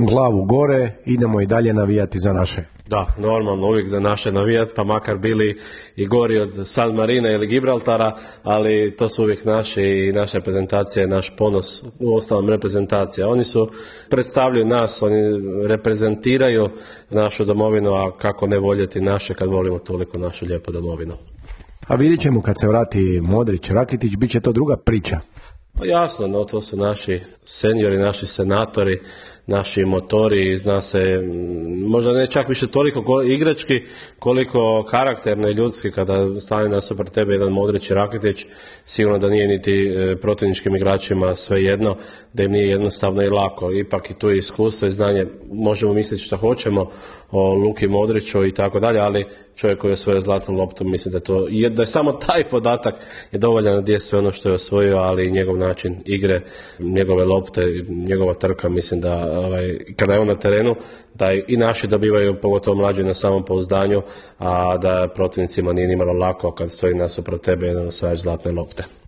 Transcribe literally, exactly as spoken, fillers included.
glavu gore, idemo i dalje navijati za naše. Da, normalno, uvijek za naše navijat, pa makar bili i gori od San Marina ili Gibraltara, ali to su uvijek naši i naša reprezentacija je naš ponos, u ostalom reprezentacija. Oni su, predstavljaju nas, oni reprezentiraju našu domovinu, a kako ne voljeti naše kad volimo toliko našu lijepu domovinu. A vidjet ćemo kad se vrati Modrić, Rakitić, bit će to druga priča. Pa jasno, no, to su naši seniori, naši senatori, naši motori, zna se, možda ne čak više toliko igrački, koliko karakterno i ljudski, kada stane nasuprot tebe jedan Modrić i Rakitić, sigurno da nije niti protivničkim igračima svejedno, da im nije jednostavno i lako. Ipak i tu je iskustvo i znanje, možemo misliti što hoćemo o Luki Modriću i tako dalje, ali čovjek koji je osvojio zlatnu loptu, mislim da, to, da je samo taj podatak je dovoljan da je sve ono što je osvojio, ali i njegov način igre, njegove lopte, njegova trka, mislim da ovaj, kada je on na terenu, da i naši dobivaju, pogotovo mlađi, na samom pouzdanju, a da protivnicima nije nimalo lako kad stoji nasuprot tebe jedan osvajač zlatne lopte.